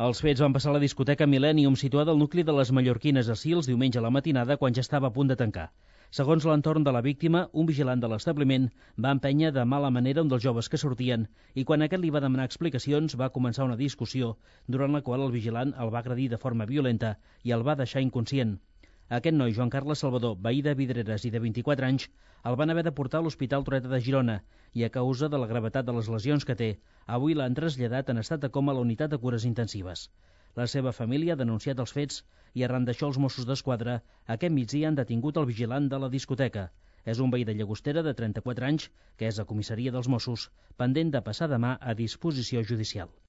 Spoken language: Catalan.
Els fets van passar a la discoteca Millennium, situada al nucli de les Mallorquines a Sils, diumenge a la matinada, quan ja estava a punt de tancar. Segons l'entorn de la víctima, un vigilant de l'establiment va empènyer de mala manera un dels joves que sortien i quan aquest li va demanar explicacions va començar una discussió durant la qual el vigilant el va agredir de forma violenta i el va deixar inconscient. Aquest noi, Joan Carles Salvador, veí de Vidreres i de 24 anys, el van haver de portar a l'Hospital Trueta de Girona i a causa de la gravetat de les lesions que té, avui l'han traslladat en estat de coma a la unitat de cures intensives. La seva família ha denunciat els fets i arran d'això els Mossos d'Esquadra aquest migdia han detingut el vigilant de la discoteca. És un veí de Llagostera de 34 anys que és a comissaria dels Mossos, pendent de passar demà a disposició judicial.